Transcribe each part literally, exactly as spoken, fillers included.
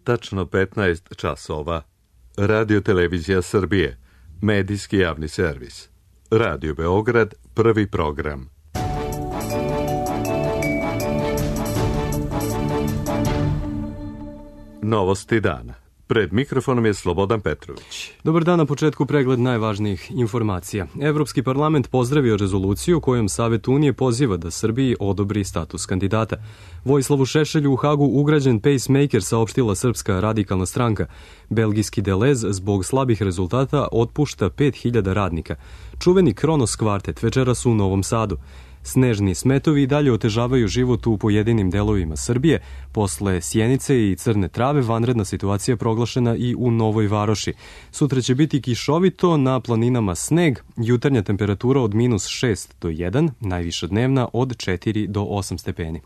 tačno petnaest časova. Radio Televizija Srbije, medijski javni servis. Radio Beograd, prvi program. Novosti dana. Pred mikrofonom je Slobodan Petrović. Dobar dan, na početku pregled najvažnijih informacija. Evropski parlament pozdravio rezoluciju kojom Savet Unije poziva da Srbiji odobri status kandidata. Vojislavu Šešelju u Hagu ugrađen pacemaker, saopštila Srpska radikalna stranka. Belgijski Delez zbog slabih rezultata otpušta pet hiljada radnika. Čuveni Kronos kvartet večeras u Novom Sadu. Snežni smetovi i dalje otežavaju život u pojedinim delovima Srbije. Posle Sjenice i Crne Trave vanredna situacija proglašena i u Novoj Varoši. Sutra će biti kišovito, na planinama sneg, jutarnja temperatura od minus šest do jedan, najviša dnevna od četiri do osam stepeni.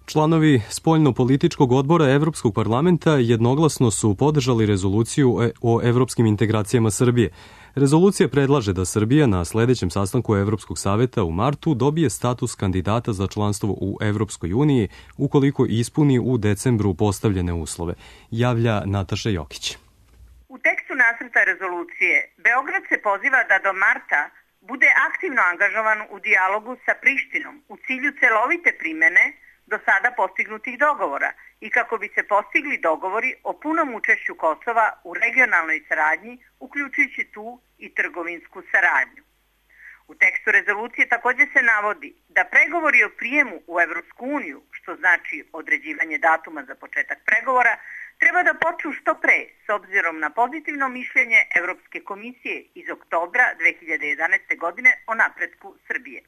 Članovi spoljno-političkog odbora Evropskog parlamenta jednoglasno su podržali rezoluciju o evropskim integracijama Srbije. Rezolucija predlaže da Srbija na sledećem sastanku Evropskog saveta u martu dobije status kandidata za članstvo u Evropskoj uniji ukoliko ispuni u decembru postavljene uslove, javlja Nataša Jokić. U tekstu nacrta rezolucije Beograd se poziva da do marta bude aktivno angažovan u dijalogu sa Prištinom u cilju celovite primene do sada postignutih dogovora i kako bi se postigli dogovori o punom učešću Kosova u regionalnoj saradnji, uključujući tu i trgovinsku saradnju. U tekstu rezolucije također se navodi da pregovori o prijemu u Evropsku uniju, što znači određivanje datuma za početak pregovora, treba da počnu što pre s obzirom na pozitivno mišljenje Evropske komisije iz oktobra dve hiljade jedanaeste. godine o napretku Srbije.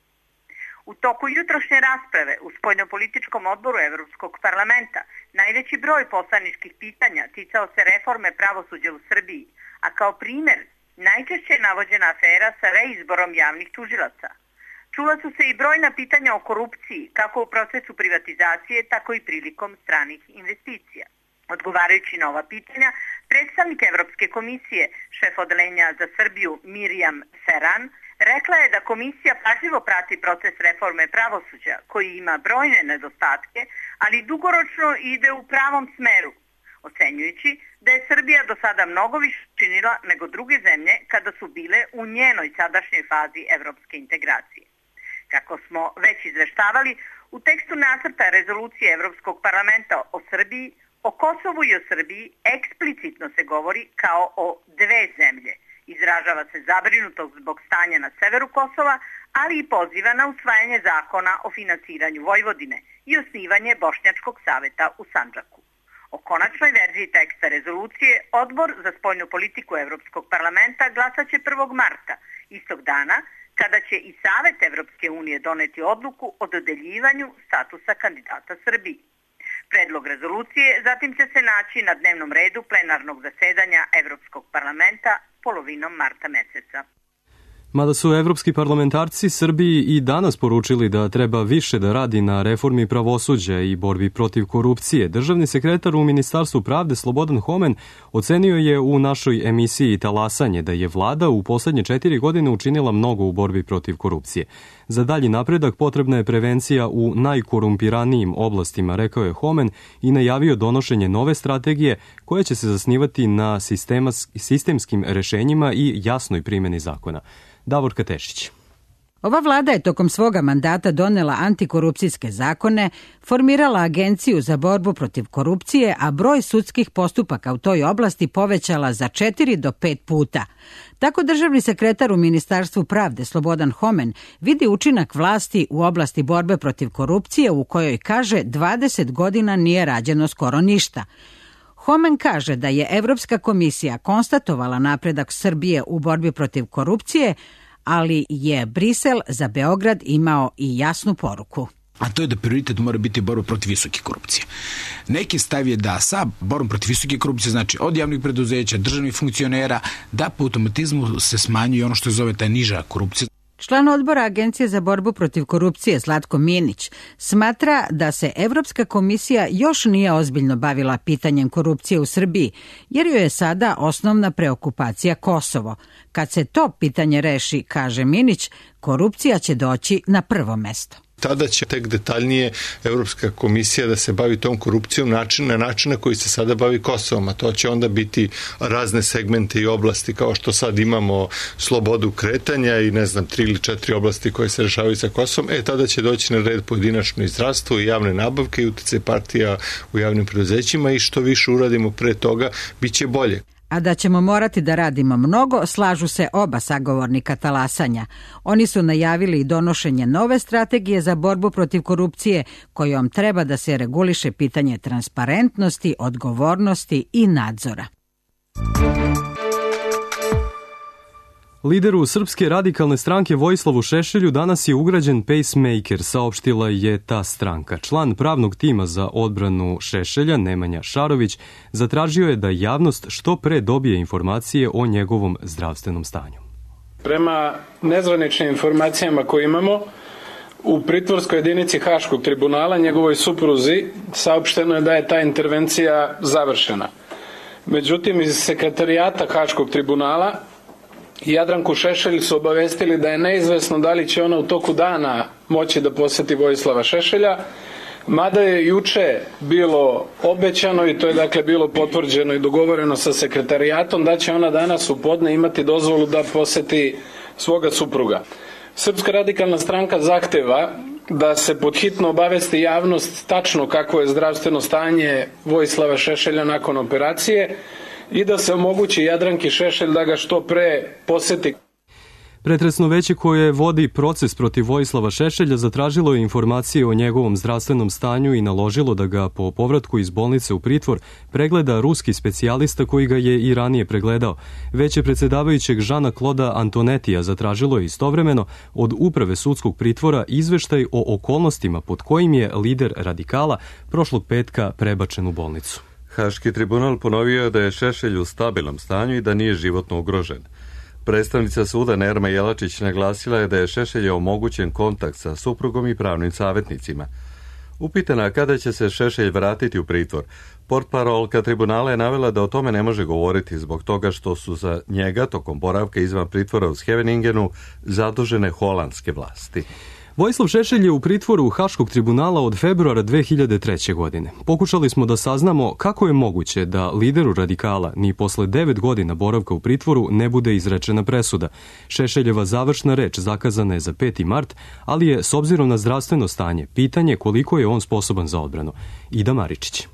U toku jutrošnje rasprave u spoljnopolitičkom odboru Evropskog parlamenta najveći broj poslaničkih pitanja ticao se reforme pravosuđa u Srbiji, a kao primer najčešće je navođena afera sa reizborom javnih tužilaca. Čula su se i brojna pitanja o korupciji, kako u procesu privatizacije, tako i prilikom stranih investicija. Odgovarajući na ova pitanja, predstavnik Evropske komisije, šef odeljenja za Srbiju Mirjam Seran, rekla je da komisija pažljivo prati proces reforme pravosuđa, koji ima brojne nedostatke, ali dugoročno ide u pravom smeru, ocenjujući da je Srbija do sada mnogo više činila nego druge zemlje kada su bile u njenoj sadašnjoj fazi evropske integracije. Kako smo već izveštavali, u tekstu nacrta rezolucije Evropskog parlamenta o Srbiji, o Kosovu i o Srbiji eksplicitno se govori kao o dve zemlje. Izražava se zabrinutost zbog stanja na severu Kosova, ali i poziva na usvajanje zakona o finansiranju Vojvodine i osnivanje Bošnjačkog saveta u Sandžaku. O konačnoj verziji teksta rezolucije Odbor za spoljnu politiku Evropskog parlamenta glasaće prvog marta, istog dana kada će i Savet Evropske unije doneti odluku o dodeljivanju statusa kandidata Srbiji. Predlog rezolucije zatim će se naći na dnevnom redu plenarnog zasedanja Evropskog parlamenta polovinom marta meseca. Mada su evropski parlamentarci Srbiji i danas poručili da treba više da radi na reformi pravosuđa i borbi protiv korupcije, državni sekretar u Ministarstvu pravde Slobodan Homen ocenio je u našoj emisiji Talasanje da je vlada u poslednje četiri godine učinila mnogo u borbi protiv korupcije. Za dalji napredak potrebna je prevencija u najkorumpiranijim oblastima, rekao je Homen i najavio donošenje nove strategije koja će se zasnivati na sistemskim rešenjima i jasnoj primjeni zakona. Davorka Tešić. Ova vlada je tokom svoga mandata donela antikorupcijske zakone, formirala agenciju za borbu protiv korupcije, a broj sudskih postupaka u toj oblasti povećala za četiri do pet puta. Tako državni sekretar u Ministarstvu pravde Slobodan Homen vidi učinak vlasti u oblasti borbe protiv korupcije u kojoj, kaže, dvadeset godina nije rađeno skoro ništa. Homen kaže da je Evropska komisija konstatovala napredak Srbije u borbi protiv korupcije, ali je Brisel za Beograd imao i jasnu poruku. A to je da prioritet mora biti borba protiv visoke korupcije. Neki stav je da sa borbom protiv visoke korupcije, znači od javnih preduzeća, državnih funkcionera, da po automatizmu se smanjuje ono što se zove ta niža korupcija. Član odbora Agencije za borbu protiv korupcije Zlatko Minić smatra da se Evropska komisija još nije ozbiljno bavila pitanjem korupcije u Srbiji, jer joj je sada osnovna preokupacija Kosovo. Kad se to pitanje reši, kaže Minić, korupcija će doći na prvo mesto. Tada će tek detaljnije Evropska komisija da se bavi tom korupcijom način, na način na koji se sada bavi Kosovom, a to će onda biti razne segmente i oblasti kao što sad imamo slobodu kretanja i ne znam, tri ili četiri oblasti koje se rešavaju sa Kosovom. E, tada će doći na red pojedinačno i zdravstvo i javne nabavke i uticaj partija u javnim preduzećima i što više uradimo pre toga, bit će bolje. A da ćemo morati da radimo mnogo, slažu se oba sagovornika talasanja. Oni su najavili i donošenje nove strategije za borbu protiv korupcije, kojom treba da se reguliše pitanje transparentnosti, odgovornosti i nadzora. Lideru Srpske radikalne stranke Vojislavu Šešelju danas je ugrađen pacemaker, saopštila je ta stranka. Član pravnog tima za odbranu Šešelja, Nemanja Šarović, zatražio je da javnost što pre dobije informacije o njegovom zdravstvenom stanju. Prema nezvaničnim informacijama koje imamo, u pritvorskoj jedinici Haškog tribunala njegovoj supruzi saopšteno je da je ta intervencija završena. Međutim, iz sekretarijata Haškog tribunala Jadranku Šešelj su obavestili da je neizvesno da li će ona u toku dana moći da poseti Vojislava Šešelja, mada je juče bilo obećano i to je dakle bilo potvrđeno i dogovoreno sa sekretarijatom da će ona danas u podne imati dozvolu da poseti svoga supruga. Srpska radikalna stranka zahteva da se podhitno obavesti javnost tačno kako je zdravstveno stanje Vojislava Šešelja nakon operacije i da se omogući Jadranki Šešelj da ga što pre poseti. Pretresno veće koje vodi proces protiv Vojislava Šešelja zatražilo je informacije o njegovom zdravstvenom stanju i naložilo da ga po povratku iz bolnice u pritvor pregleda ruski specijalista koji ga je i ranije pregledao. Veće predsjedavajućeg Žana Kloda Antonetija zatražilo je istovremeno od uprave sudskog pritvora izveštaj o okolnostima pod kojim je lider radikala prošlog petka prebačen u bolnicu. Haški tribunal ponovio je da je Šešelj u stabilnom stanju i da nije životno ugrožen. Predstavnica suda Nerma Jelačić naglasila je da je Šešelju omogućen kontakt sa suprugom i pravnim savjetnicima. Upitana kada će se Šešelj vratiti u pritvor, portparolka tribunala je navela da o tome ne može govoriti zbog toga što su za njega tokom boravka izvan pritvora u Scheveningenu zadužene holandske vlasti. Vojislav Šešelj je u pritvoru Haškog tribunala od februara dve hiljade treće. godine. Pokušali smo da saznamo kako je moguće da lideru radikala ni posle devet godina boravka u pritvoru ne bude izrečena presuda. Šešeljeva završna reč zakazana je za peti mart, ali je s obzirom na zdravstveno stanje pitanje koliko je on sposoban za odbranu. Ida Maričić.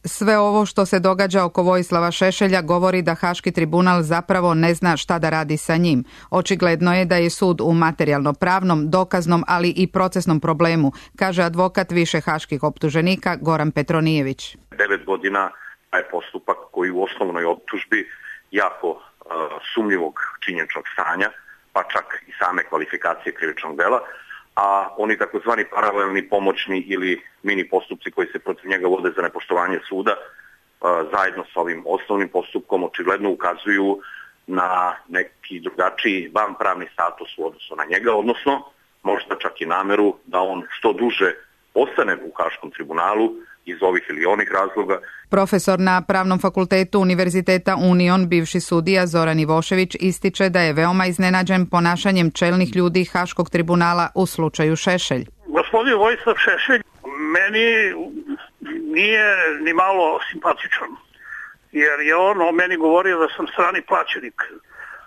Sve ovo što se događa oko Vojislava Šešelja govori da Haški tribunal zapravo ne zna šta da radi sa njim. Očigledno je da je sud u materijalno-pravnom, dokaznom, ali i procesnom problemu, kaže advokat više haških optuženika Goran Petronijević. Devet godina je postupak koji u osnovnoj optužbi jako uh, sumnjivog činjeničnog stanja, pa čak i same kvalifikacije krivičnog dela, a oni takozvani paralelni, pomoćni ili mini postupci koji se protiv njega vode za nepoštovanje suda zajedno sa ovim osnovnim postupkom očigledno ukazuju na neki drugačiji vanpravni status u odnosu na njega, odnosno možda čak i nameru da on što duže ostane u Haškom tribunalu iz ovih ili onih razloga. Profesor na Pravnom fakultetu Univerziteta Union, bivši sudija Zoran Ivošević, ističe da je veoma iznenađen ponašanjem čelnih ljudi Haškog tribunala u slučaju Šešelj. Gospodin Vojislav Šešelj meni nije ni malo simpatičan, jer je on o meni govorio da sam strani plaćenik.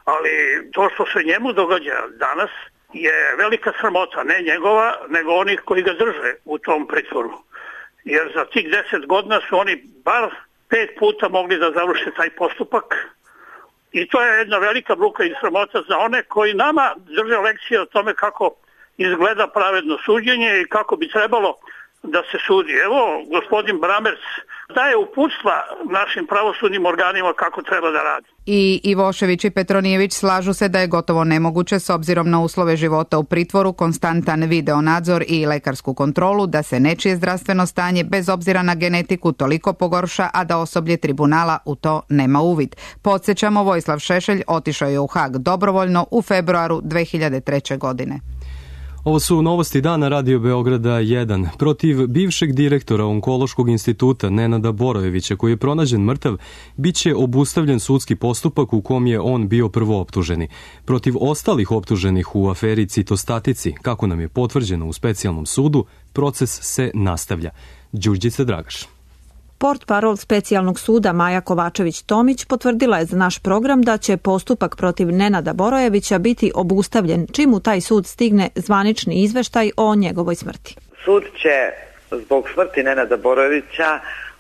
Ali to što se njemu događa danas je velika sramota, ne njegova, nego onih koji ga drže u tom pritvoru. Jer za tih deset godina su oni bar pet puta mogli da završe taj postupak i to je jedna velika bruka i sramota za one koji nama drže lekcije o tome kako izgleda pravedno suđenje i kako bi trebalo da se sudi. Evo, gospodin Bramers daje uputstva našim pravosudnim organima kako treba da radi. I Ivošević i Petronijević slažu se da je gotovo nemoguće s obzirom na uslove života u pritvoru, konstantan video nadzor i lekarsku kontrolu da se nečije zdravstveno stanje bez obzira na genetiku toliko pogorša, a da osoblje tribunala u to nema uvid. Podsjećamo, Vojislav Šešelj otišao je u Hag dobrovoljno u februaru dve hiljade treće. godine. Ovo su novosti dana Radio Beograda jedan. Protiv bivšeg direktora Onkološkog instituta Nenada Borojevića, koji je pronađen mrtav, bit će obustavljen sudski postupak u kom je on bio prvooptuženi. Protiv ostalih optuženih u aferi Citostatici, kako nam je potvrđeno u specijalnom sudu, proces se nastavlja. Đurđica Dragaš. Portparol specijalnog suda Maja Kovačević-Tomić potvrdila je za naš program da će postupak protiv Nenada Borojevića biti obustavljen čim u taj sud stigne zvanični izveštaj o njegovoj smrti. Sud će zbog smrti Nenada Borojevića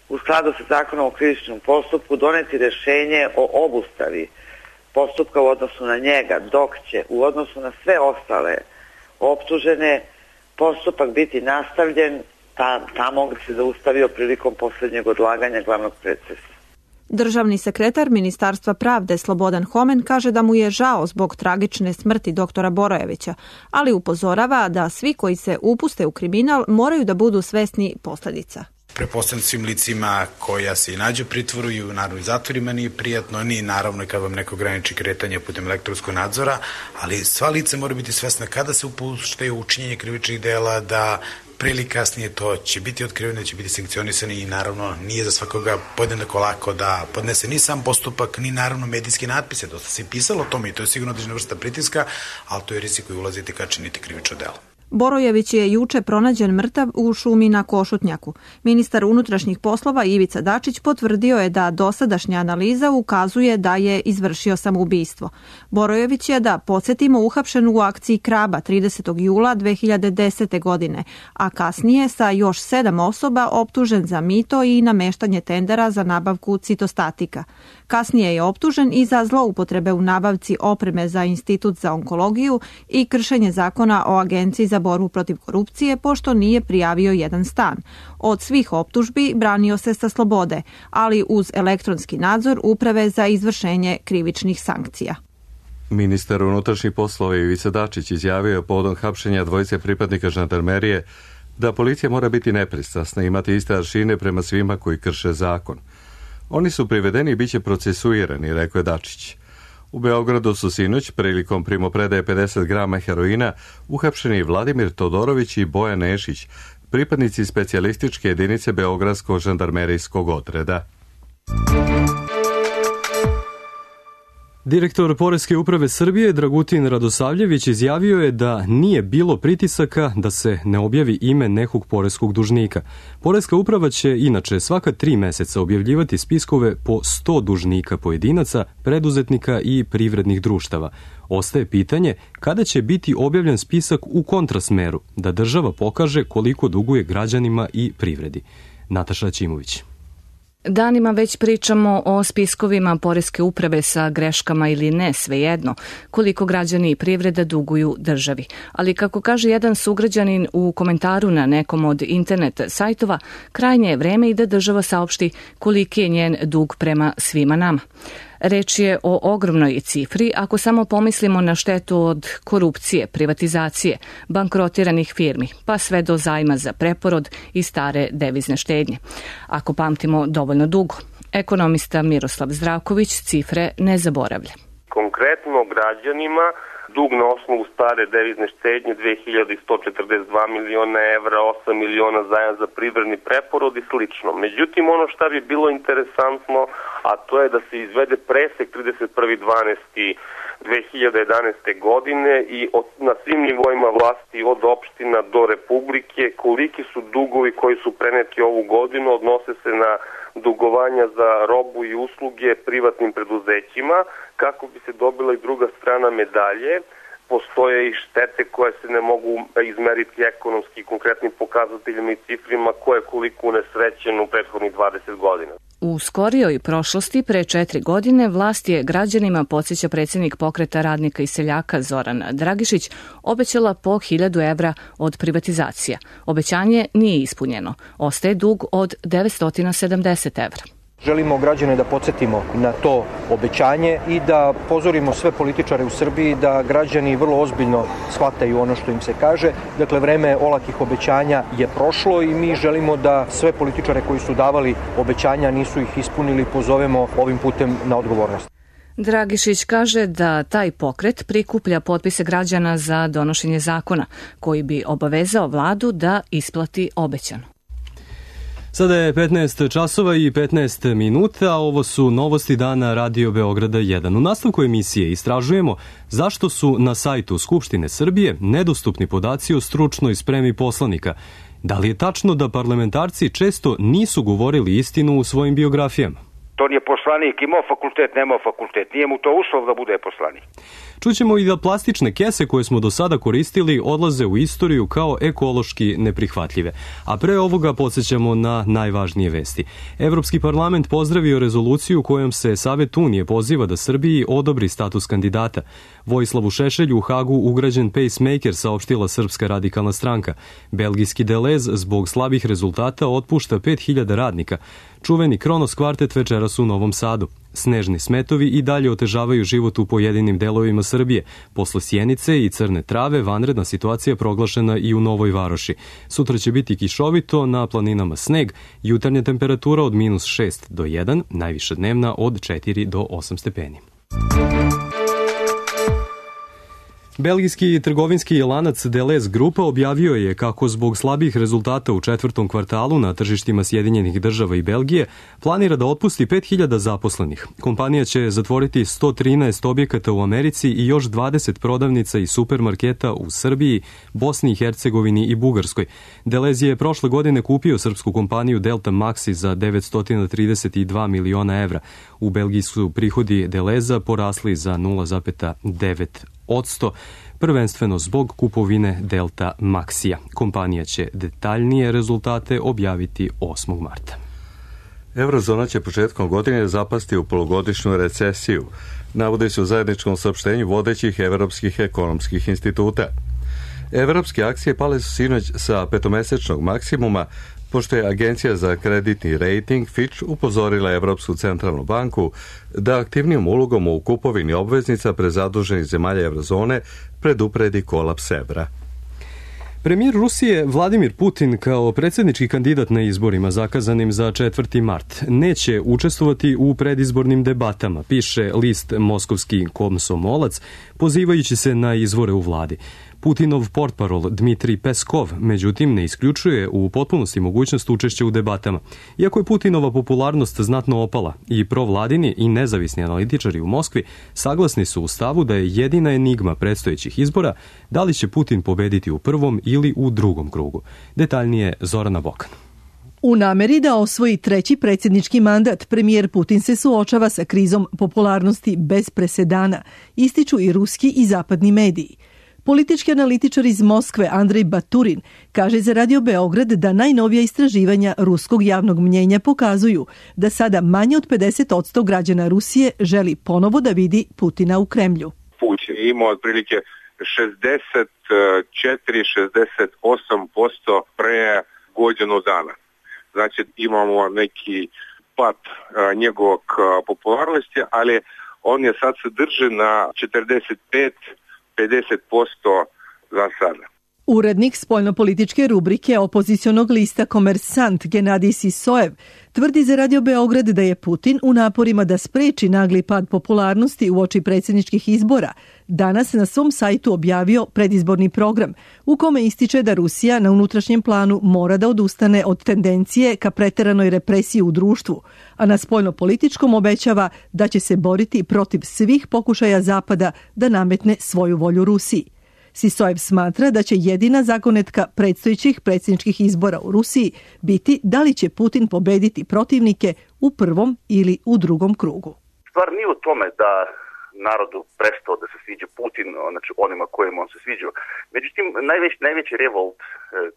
u skladu sa zakonom o krivičnom postupku doneti rješenje o obustavi postupka u odnosu na njega, dok će u odnosu na sve ostale optužene postupak biti nastavljen tamo gdje se zaustavio prilikom posljednjeg odlaganja glavnog procesa. Državni sekretar Ministarstva pravde Slobodan Homen kaže da mu je žao zbog tragične smrti doktora Borojevića, ali upozorava da svi koji se upuste u kriminal moraju da budu svesni posljedica. Pretpostavljam svim licima koja se i nađu u pritvoru i u naravno zatvorima nije prijatno, ni naravno kad vam neko ograniči kretanje putem elektronskog nadzora, ali sva lica moraju biti svesna kada se upuštaju u učinjenje krivičnih dela da pre ili kasnije to će biti otkriveno, će biti sankcionisani i naravno nije za svakoga podjednako lako da podnese ni sam postupak, ni naravno medijski natpise. Dosta se pisalo o tome i to je sigurno određena vrsta pritiska, ali to je rizik koji ulaziti kad činiti krivično delo. Borojević je juče pronađen mrtav u šumi na Košutnjaku. Ministar unutrašnjih poslova Ivica Dačić potvrdio je da dosadašnja analiza ukazuje da je izvršio samoubistvo. Borojević je, da podsjetimo, uhapšen u akciji Kraba tridesetog jula dve hiljade desete. godine, a kasnije sa još sedam osoba optužen za mito i nameštanje tendera za nabavku citostatika. Kasnije je optužen i za zloupotrebe u nabavci opreme za Institut za onkologiju i kršenje zakona o Agenciji za borbu protiv korupcije, pošto nije prijavio jedan stan. Od svih optužbi branio se sa slobode, ali uz elektronski nadzor Uprave za izvršenje krivičnih sankcija. Ministar unutrašnjih poslova Ivica Dačić izjavio je povodom hapšenja dvojice pripadnika žandarmerije da policija mora biti nepristrasna i imati iste aršine prema svima koji krše zakon. Oni su privedeni i bit će procesuirani, rekao je Dačić. U Beogradu su sinoć prilikom primopredaje pedeset grama heroina uhapšeni Vladimir Todorović i Bojan Nešić, pripadnici specijalističke jedinice Beogradskog žandarmerijskog odreda. Direktor Poreske uprave Srbije Dragutin Radosavljević izjavio je da nije bilo pritisaka da se ne objavi ime nekog poreskog dužnika. Poreska uprava će inače svaka tri meseca objavljivati spiskove po sto dužnika pojedinaca, preduzetnika i privrednih društava. Ostaje pitanje kada će biti objavljen spisak u kontrasmeru, da država pokaže koliko duguje građanima i privredi. Nataša Ćimović. Danima već pričamo o spiskovima Poreske uprave sa greškama ili ne, svejedno, koliko građani i privreda duguju državi. Ali kako kaže jedan sugrađanin u komentaru na nekom od internet sajtova, krajnje je vreme i da država saopšti koliki je njen dug prema svima nama. Reč je o ogromnoj cifri ako samo pomislimo na štetu od korupcije, privatizacije, bankrotiranih firmi, pa sve do zajma za preporod i stare devizne štednje. Ako pamtimo dovoljno dugo, ekonomista Miroslav Zdravković cifre ne zaboravlja. Konkretno građanima dug na osnovu stare devizne štednje dve hiljade sto četrdeset dva miliona evra, osam miliona zajam za privredni preporod i slično. Međutim, ono što bi bilo interesantno, a to je da se izvede presek trideset prvog decembra dve hiljade jedanaeste. godine i od, na svim nivoima vlasti od opština do republike koliki su dugovi koji su preneti ovu godinu, odnose se na dugovanja za robu i usluge privatnim preduzećima, kako bi se dobila i druga strana medalje. Postoje i štete koje se ne mogu izmeriti ekonomski konkretnim pokazateljima i cifrima koje koliko unesrećeno u prethodnih dvadeset godina. U skorijoj prošlosti, pre četiri godine, vlast je građanima, podsjeća predsjednik Pokreta radnika i seljaka Zoran Dragišić, obećala po hiljadu evra od privatizacija. Obećanje nije ispunjeno. Ostaje dug od devetsto sedamdeset evra. Želimo građane da podsjetimo na to obećanje i da pozorimo sve političare u Srbiji da građani vrlo ozbiljno shvataju ono što im se kaže. Dakle, vreme olakih obećanja je prošlo i mi želimo da sve političare koji su davali obećanja nisu ih ispunili pozovemo ovim putem na odgovornost. Dragišić kaže da taj pokret prikuplja potpise građana za donošenje zakona, koji bi obavezao vladu da isplati obećano. Sada je petnaest časova i petnaest minuta, a ovo su novosti dana Radio Beograda jedan. U nastavku emisije istražujemo zašto su na sajtu Skupštine Srbije nedostupni podaci o stručnoj spremi poslanika. Da li je tačno da parlamentarci često nisu govorili istinu u svojim biografijama? To nije poslanik, imao fakultet, nemao fakultet. Nije mu to uslov da bude poslanik. Čućemo i da plastične kese koje smo do sada koristili odlaze u istoriju kao ekološki neprihvatljive. A pre ovoga podsjećamo na najvažnije vesti. Evropski parlament pozdravio rezoluciju kojom se Savet Unije poziva da Srbiji odobri status kandidata. Vojislavu Šešelju u Hagu ugrađen pacemaker, saopštila Srpska radikalna stranka. Belgijski Delez zbog slabih rezultata otpušta pet hiljada radnika. Čuveni Kronos kvartet večeras u Novom Sadu. Snežni smetovi i dalje otežavaju život u pojedinim delovima Srbije. Posle Sjenice i Crne Trave vanredna situacija proglašena i u Novoj Varoši. Sutra će biti kišovito, na planinama sneg, jutarnja temperatura od minus šest do jedan, najviša dnevna od četiri do osam stepeni. Belgijski trgovinski lanac Delez Grupa objavio je kako zbog slabih rezultata u četvrtom kvartalu na tržištima Sjedinjenih država i Belgije planira da otpusti pet hiljada zaposlenih. Kompanija će zatvoriti sto trinaest objekata u Americi i još dvadeset prodavnica i supermarketa u Srbiji, Bosni i Hercegovini i Bugarskoj. Delez je prošle godine kupio srpsku kompaniju Delta Maxi za devetsto trideset dva miliona evra. U Belgiji su prihodi Deleza porasli za nula zarez devet odsto, prvenstveno zbog kupovine Delta Maxija. Kompanija će detaljnije rezultate objaviti osmog marta. Eurozona će početkom godine zapasti u polugodišnju recesiju, navode se u zajedničkom saopštenju vodećih evropskih ekonomskih instituta. Evropske akcije pale su sinoć sa petomesečnog maksimuma, pošto je Agencija za kreditni rating Fitch upozorila Evropsku centralnu banku da aktivnijom ulogom u kupovini obveznica prezaduženih zemalja Eurozone predupredi kolaps evra. Premijer Rusije Vladimir Putin kao predsjednički kandidat na izborima zakazanim za četvrti mart neće učestvovati u predizbornim debatama, piše list Moskovski komsomolac, pozivajući se na izvore u vladi. Putinov portparol Dmitrij Peskov, međutim, ne isključuje u potpunosti mogućnost učešća u debatama. Iako je Putinova popularnost znatno opala, i provladini i nezavisni analitičari u Moskvi saglasni su u stavu da je jedina enigma predstojećih izbora da li će Putin pobediti u prvom ili u drugom krugu. Detaljnije Zorana Bokan. U nameri da osvoji treći predsjednički mandat, premijer Putin se suočava sa krizom popularnosti bez presedana, ističu i ruski i zapadni mediji. Politički analitičar iz Moskve Andrej Baturin kaže za Radio Beograd da najnovija istraživanja ruskog javnog mnjenja pokazuju da sada manje od pedeset odsto građana Rusije želi ponovo da vidi Putina u Kremlju. Putin ima otprilike šezdeset četiri do šezdeset osam posto pre godinu dana. Znači imamo neki pad njegovog popularnosti, ali on je sad se drži na četrdeset pet do pedeset posto za sada. Urednik spoljnopolitičke rubrike opozicionog lista Komersant Genadij Sisojev tvrdi za Radio Beograd da je Putin u naporima da spreči nagli pad popularnosti uoči predsjedničkih izbora danas na svom sajtu objavio predizborni program u kome ističe da Rusija na unutrašnjem planu mora da odustane od tendencije ka preteranoj represiji u društvu, a na spoljnopolitičkom obećava da će se boriti protiv svih pokušaja Zapada da nametne svoju volju Rusiji. Sisojev smatra da će jedina zagonetka predstojećih predsjedničkih izbora u Rusiji biti da li će Putin pobediti protivnike u prvom ili u drugom krugu. Stvar nije u tome da narodu prestao da se sviđa Putin, znači onima kojima on se sviđa. Međutim, najveći, najveći revolt e,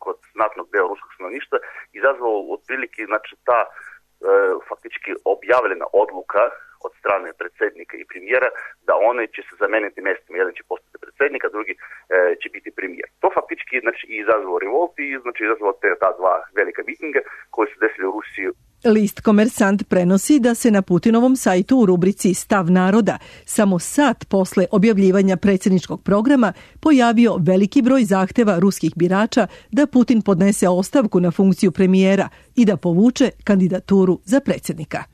kod znatnog dela ruskog stanovništva izazvao otprilike znači, ta e, faktički objavljena odluka od strane predsjednika i premijera da one će se zameniti mjestima, jedan će postati predsjednik, a drugi e, će biti premijer. To faktički znači, izazvao revolt i znači, izazvao te ta dva velika mitinga koji su desili u Rusiji. List Komersant prenosi da se na Putinovom sajtu u rubrici Stav naroda samo sat posle objavljivanja predsjedničkog programa pojavio veliki broj zahteva ruskih birača da Putin podnese ostavku na funkciju premijera i da povuče kandidaturu za predsjednika.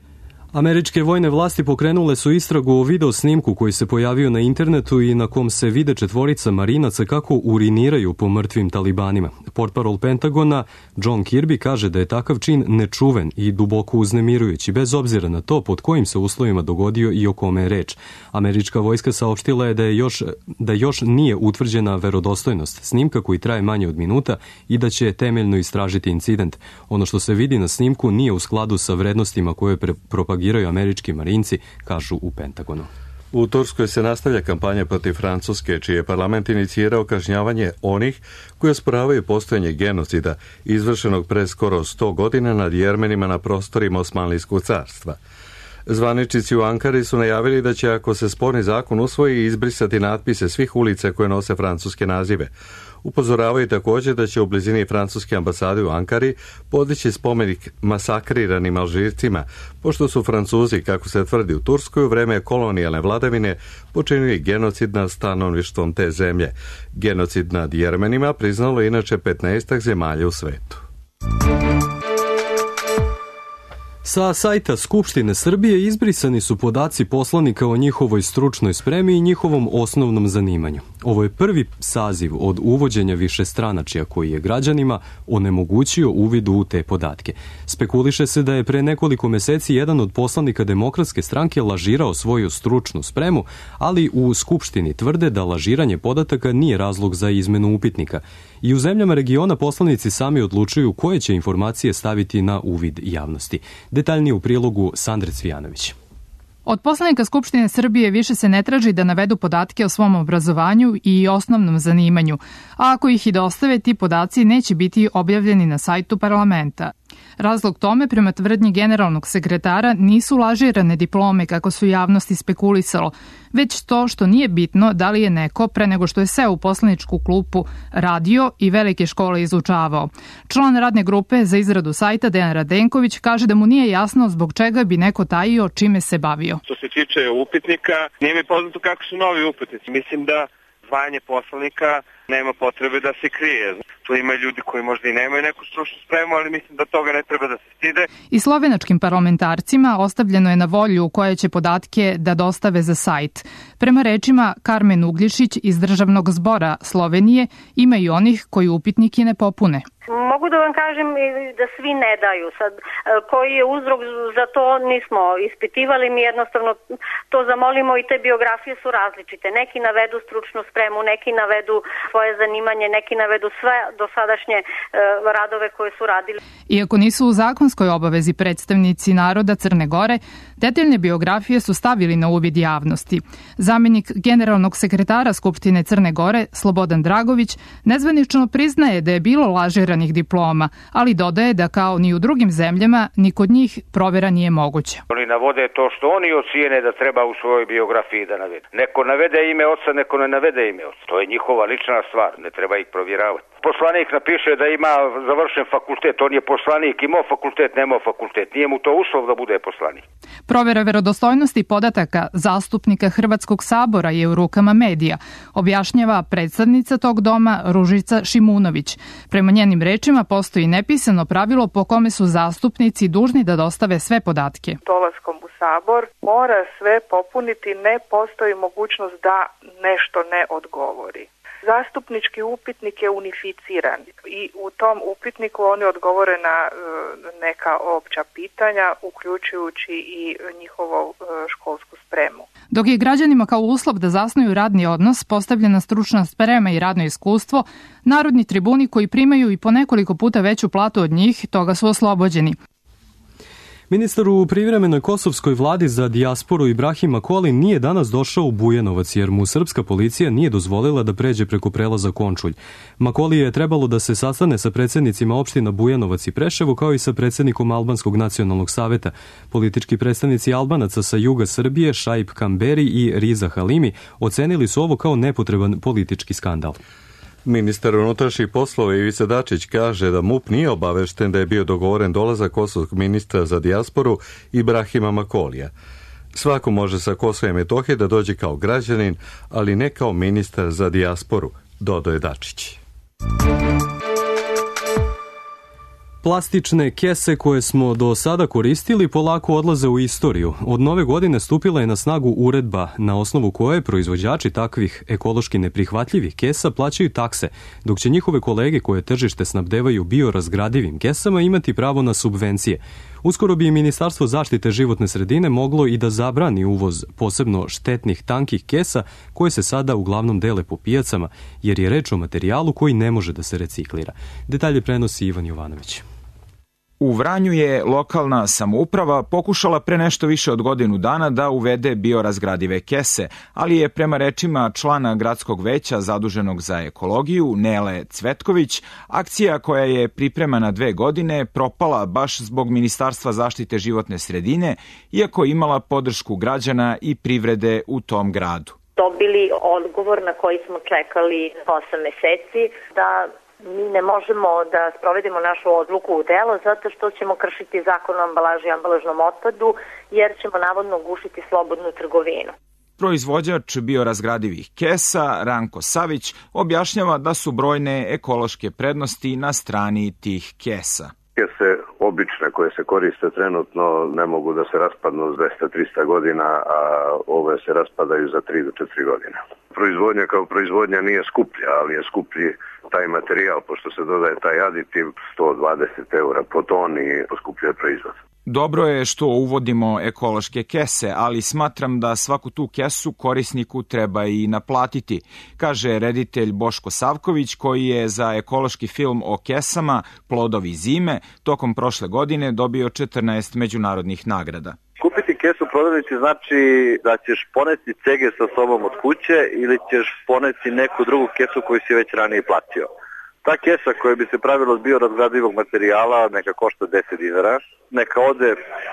Američke vojne vlasti pokrenule su istragu o video snimku koji se pojavio na internetu i na kom se vide četvorica marinaca kako uriniraju po mrtvim talibanima. Portparol Pentagona John Kirby kaže da je takav čin nečuven i duboko uznemirujući, bez obzira na to pod kojim se uslovima dogodio i o kome je reč. Američka vojska saopštila je da, je još, da još nije utvrđena verodostojnost snimka koji traje manje od minuta i da će temeljno istražiti incident. Ono što se vidi na snimku nije u skladu sa vrednostima koje propagiraju američki marinci, kažu u Pentagonu. U Turskoj se nastavlja kampanja protiv Francuske, čiji je parlament inicirao kažnjavanje onih koji osporavaju postojanje genocida izvršenog pre skoro sto godina nad Jermenima na prostorima Osmanlijskog carstva. Zvaničnici u Ankari su najavili da će, ako se sporni zakon usvoji, izbrisati natpise svih ulica koje nose francuske nazive. Upozoravaju također da će u blizini francuske ambasade u Ankari podići spomenik masakriranim Alžircima, pošto su Francuzi, kako se tvrdi u Turskoj, u vreme kolonijalne vladavine počinili genocid nad stanovništvom te zemlje. Genocid nad Jermenima priznalo inače petnaestak zemalja u svetu. Sa sajta Skupštine Srbije izbrisani su podaci poslanika o njihovoj stručnoj spremi i njihovom osnovnom zanimanju. Ovo je prvi saziv od uvođenja višestranačja koji je građanima onemogućio uvid u te podatke. Spekuliše se da je pre nekoliko meseci jedan od poslanika Demokratske stranke lažirao svoju stručnu spremu, ali u Skupštini tvrde da lažiranje podataka nije razlog za izmenu upitnika. I u zemljama regiona poslanici sami odlučuju koje će informacije staviti na uvid javnosti. Detaljnije u prilogu Sandre Cvijanović. Od poslanika Skupštine Srbije više se ne traži da navedu podatke o svom obrazovanju i osnovnom zanimanju, a ako ih i dostave, ti podaci neće biti objavljeni na sajtu parlamenta. Razlog tome, prema tvrdnji generalnog sekretara, nisu lažirane diplome kako su javnosti spekulisalo, već to što nije bitno da li je neko pre nego što je seo u poslaničku klupu radio i velike škole izučavao. Član radne grupe za izradu sajta Dejan Radenković kaže da mu nije jasno zbog čega bi neko tajio čime se bavio. Što se tiče upitnika, nije mi poznato kako su novi upitnici. Mislim da zvanje poslanika nema potrebe da se krije. Tu ima ljudi koji možda i nemaju neku stručnu spremu, ali mislim da toga ne treba da se stide. I slovenačkim parlamentarcima ostavljeno je na volju koje će podatke da dostave za sajt. Prema rečima Karmen Ugljišić iz Državnog zbora Slovenije, ima i onih koji upitnike ne popune. Mogu da vam kažem da svi ne daju. Sad, koji je uzrok za to nismo ispitivali, mi jednostavno to zamolimo i te biografije su različite. Neki navedu stručnu spremu, neki navedu svoje zanimanje, neki navedu sve dosadašnje e, radove koje su radili. Iako nisu u zakonskoj obavezi predstavnici naroda Crne Gore, detaljne biografije su stavili na uvid javnosti. Zamenik generalnog sekretara Skupštine Crne Gore, Slobodan Dragović, nezvanično priznaje da je bilo lažiranih diploma, ali dodaje da kao ni u drugim zemljama, ni kod njih provera nije moguća. Oni navode to što oni ocijene da treba u svojoj biografiji da navede. Neko navede ime oca, neko ne navede ime oca. To je njihova lična stvar, ne treba ih provjeravati. Poslanik napiše da ima završen fakultet, on je poslanik, imao fakultet, nemao fakultet, nije mu to uslov da bude poslanik. Provera verodostojnosti podataka zastupnika Hrvatskog sabora je u rukama medija, objašnjava predstavnica tog doma Ružica Šimunović. Prema njenim rečima postoji nepisano pravilo po kome su zastupnici dužni da dostave sve podatke. Dolaskom u sabor mora sve popuniti, ne postoji mogućnost da nešto ne odgovori. Zastupnički upitnik je unificiran i u tom upitniku oni odgovore na neka opća pitanja, uključujući i njihovu školsku spremu. Dok je građanima kao uslov da zasnuju radni odnos postavljena stručna sprema i radno iskustvo, narodni tribuni koji primaju i po nekoliko puta veću platu od njih, toga su oslobođeni. Ministar u privremenoj kosovskoj vladi za dijasporu Ibrahim Makoli nije danas došao u Bujanovac jer mu srpska policija nije dozvolila da pređe preko prelaza Končulj. Makoli je trebalo da se sastane sa predsjednicima opština Bujanovac i Preševo kao i sa predsjednikom Albanskog nacionalnog saveta. Politički predstavnici Albanaca sa juga Srbije, Šaip Kamberi i Riza Halimi, ocenili su ovo kao nepotreban politički skandal. Ministar unutrašnjih poslova Ivica Dačić kaže da MUP nije obavešten da je bio dogovoren dolazak kosovskog ministra za dijasporu Ibrahima Makolija. Svako može sa Kosova i Metohije da dođe kao građanin, ali ne kao ministar za dijasporu, dodao je Dačić. Plastične kese koje smo do sada koristili polako odlaze u istoriju. Od nove godine stupila je na snagu uredba na osnovu koje proizvođači takvih ekološki neprihvatljivih kesa plaćaju takse, dok će njihove kolege koje tržište snabdevaju biorazgradivim kesama imati pravo na subvencije. Uskoro bi Ministarstvo zaštite životne sredine moglo i da zabrani uvoz posebno štetnih tankih kesa koje se sada uglavnom dele po pijacama, jer je reč o materijalu koji ne može da se reciklira. Detalje prenosi Ivan Jovanović. U Vranju je lokalna samouprava pokušala pre nešto više od godinu dana da uvede biorazgradive kese, ali je prema rečima člana gradskog veća zaduženog za ekologiju Nele Cvetković, akcija koja je pripremana dve godine propala baš zbog Ministarstva zaštite životne sredine, iako je imala podršku građana i privrede u tom gradu. Dobili odgovor na koji smo čekali osam meseci da mi ne možemo da sprovedemo našu odluku u delo zato što ćemo kršiti zakon o ambalaži i ambalažnom otpadu jer ćemo navodno gušiti slobodnu trgovinu. Proizvođač biorazgradivih kesa, Ranko Savić, objašnjava da su brojne ekološke prednosti na strani tih kesa. Kese obične koje se koriste trenutno ne mogu da se raspadnu s dvesta do trista godina, a ove se raspadaju za tri do četiri godine. Proizvodnja kao proizvodnja nije skuplja, ali je skuplji taj materijal, pošto se dodaje taj aditiv, sto dvadeset eura po toni poskupljuje proizvod. Dobro je što uvodimo ekološke kese, ali smatram da svaku tu kesu korisniku treba i naplatiti, kaže reditelj Boško Savković, koji je za ekološki film o kesama Plodovi zime tokom prošle godine dobio četrnaest međunarodnih nagrada. Kupiti kesu u prodavnici znači da ćeš poneti cege sa sobom od kuće ili ćeš poneti neku drugu kesu koju si već ranije platio. Ta kesa koja bi se pravila od biorazgradivog materijala neka košta deset dinara, neka ode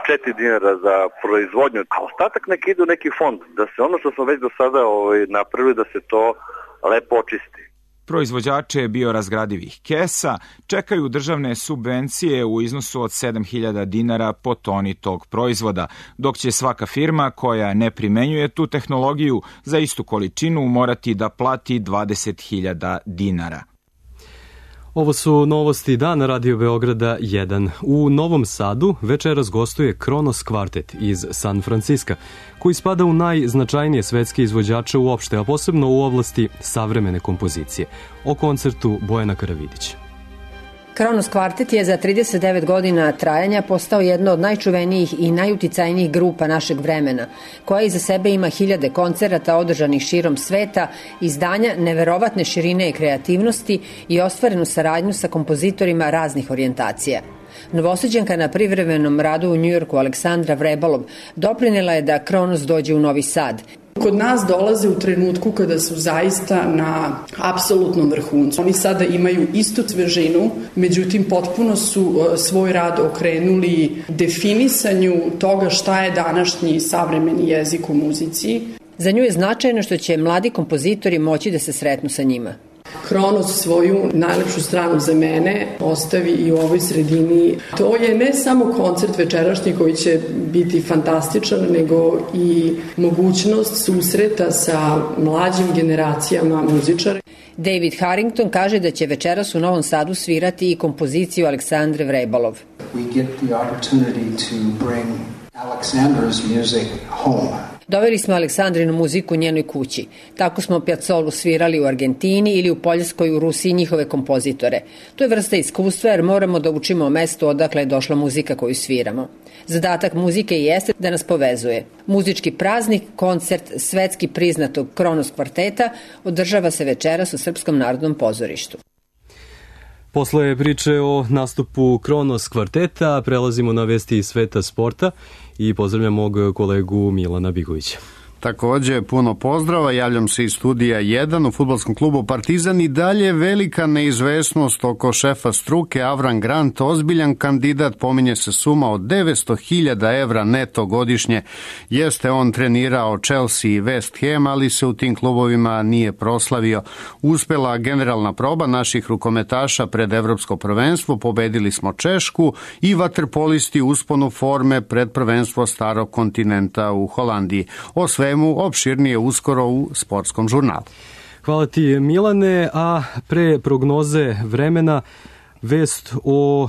četiri dinara za proizvodnju, a ostatak neka ide u neki fond, da se ono što smo već do sada ovaj, napravili, da se to lepo očisti. Proizvođače biorazgradivih kesa čekaju državne subvencije u iznosu od sedam hiljada dinara po toni tog proizvoda, dok će svaka firma koja ne primenjuje tu tehnologiju za istu količinu morati da plati dvadeset hiljada dinara. Ovo su novosti dana Radio Beograda jedan. U Novom Sadu večeras gostuje Kronos kvartet iz San Franciska, koji spada u najznačajnije svetske izvođače uopšte, a posebno u oblasti savremene kompozicije. O koncertu Bojana Karavidića. Kronos kvartet je za trideset devet godina trajanja postao jedna od najčuvenijih i najuticajnijih grupa našeg vremena, koja iza sebe ima hiljade koncerata održanih širom sveta, izdanja neverovatne širine i kreativnosti i ostvarenu saradnju sa kompozitorima raznih orijentacija. Novosađanka na privremenom radu u Njujorku Aleksandra Vrebalov doprinela je da Kronos dođe u Novi Sad. Kod nas dolaze u trenutku kada su zaista na apsolutnom vrhuncu. Oni sada imaju istu svežinu, međutim potpuno su svoj rad okrenuli definisanju toga šta je današnji savremeni jezik u muzici. Za nju je značajno što će mladi kompozitori moći da se sretnu sa njima. Kronos svoju najlepšu stranu za mene ostavi i u ovoj sredini. To je ne samo koncert večerašnji koji će biti fantastičan, nego i mogućnost susreta sa mlađim generacijama muzičara. David Harrington kaže da će večeras u Novom Sadu svirati i kompoziciju Aleksandre Vrebalov. We get the opportunity to bring Alexandra's music home. Doveli smo Aleksandrinu muziku u njenoj kući. Tako smo Piazzolu svirali u Argentini ili u Poljskoj u Rusiji njihove kompozitore. To je vrsta iskustva jer moramo da učimo o mestu odakle je došla muzika koju sviramo. Zadatak muzike jeste da nas povezuje. Muzički praznik, koncert svetski priznatog Kronos kvarteta održava se večeras u Srpskom narodnom pozorištu. Posle priče o nastupu Kronos kvarteta prelazimo na vesti iz sveta sporta i pozdravljam mog kolegu Milana Bigovića. Takođe, puno pozdrava, javljam se iz studija jedan u fudbalskom klubu Partizan i dalje velika neizvesnost oko šefa struke. Avram Grant, ozbiljan kandidat, pominje se suma od devetsto hiljada evra neto godišnje. Jeste on trenirao Chelsea i West Ham, ali se u tim klubovima nije proslavio. Uspela generalna proba naših rukometaša pred evropsko prvenstvo, pobedili smo Češku i vaterpolisti usponu forme pred prvenstvo starog kontinenta u Holandiji. O svemu opširnije uskoro u sportskom žurnalu. Hvala ti, Milane, a pre prognoze vremena vest o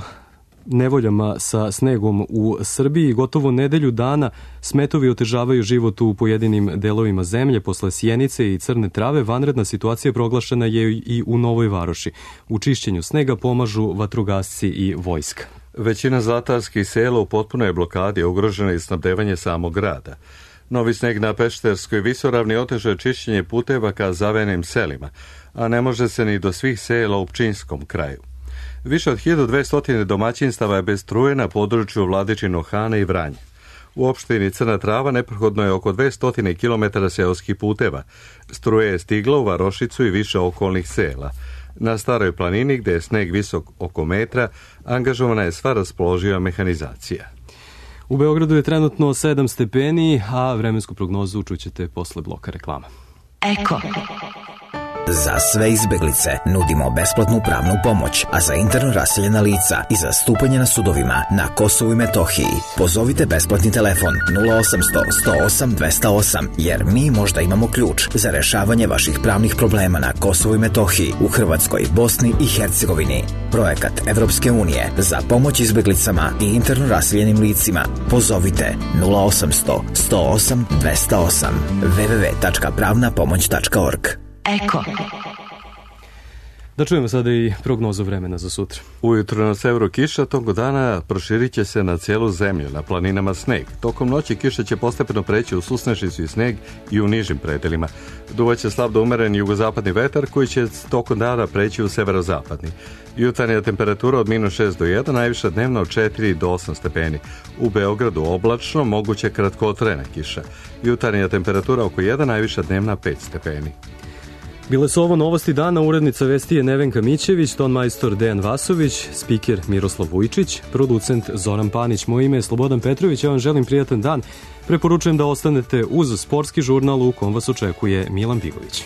nevoljama sa snegom u Srbiji. Gotovo nedelju dana smetovi otežavaju život u pojedinim delovima zemlje. Posle sjenice i crne trave vanredna situacija proglašena je i u Novoj Varoši. U čišćenju snega pomažu vatrogasci i vojska. Većina zlatarskih sela u potpunoj blokadi je ugrožena i snabdevanje samog grada. Novi sneg na Pešterskoj visoravni oteže čišćenje puteva ka zavenim selima, a ne može se ni do svih sela u Pčinjskom kraju. Više od hiljadu dvesta domaćinstava je bez struje na području Vladičino Hana i Vranje. U opštini Crna Trava neprohodno je oko dvesta kilometara seoskih puteva. Struje je stigla u Varošicu i više okolnih sela. Na Staroj planini, gde je sneg visok oko metra, angažovana je sva raspoloživa mehanizacija. U Beogradu je trenutno sedam stepeni, a vremensku prognozu čućete posle bloka reklama. Eko. Za sve izbeglice nudimo besplatnu pravnu pomoć, a za interno raseljena lica i za stupanje na sudovima na Kosovu i Metohiji pozovite besplatni telefon nula osamsto sto osam dvesta osam, jer mi možda imamo ključ za rešavanje vaših pravnih problema na Kosovu i Metohiji, u Hrvatskoj, Bosni i Hercegovini. Projekat Evropske unije za pomoć izbeglicama i interno raseljenim licima. Pozovite nula osamsto sto osam dvesta osam w w w tačka pravna pomoć tačka org. Eko. Da čujemo sada i prognozu vremena za sutra. Ujutro na severu kiša, tokom dana proširit će se na cijelu zemlju, na planinama sneg. Tokom noći kiša će postepeno preći u susnešicu i sneg i u nižim predelima. Duvaće slab do umeren jugozapadni vetar koji će tokom dana preći u severozapadni. Jutarnja temperatura od minus šest do jedan, najviša dnevna od četiri do osam stepeni. U Beogradu oblačno, moguće kratkotrajna kiša. Jutarnja temperatura oko jedan, najviša dnevna pet stepeni. Bile su ovo novosti dana, urednica vesti je Nevenka Mićević, ton majstor Dejan Vasović, spiker Miroslav Vujčić, producent Zoran Panić. Moje ime je Slobodan Petrović, ja vam želim prijatan dan. Preporučujem da ostanete uz sportski žurnal u kom vas očekuje Milan Bigović.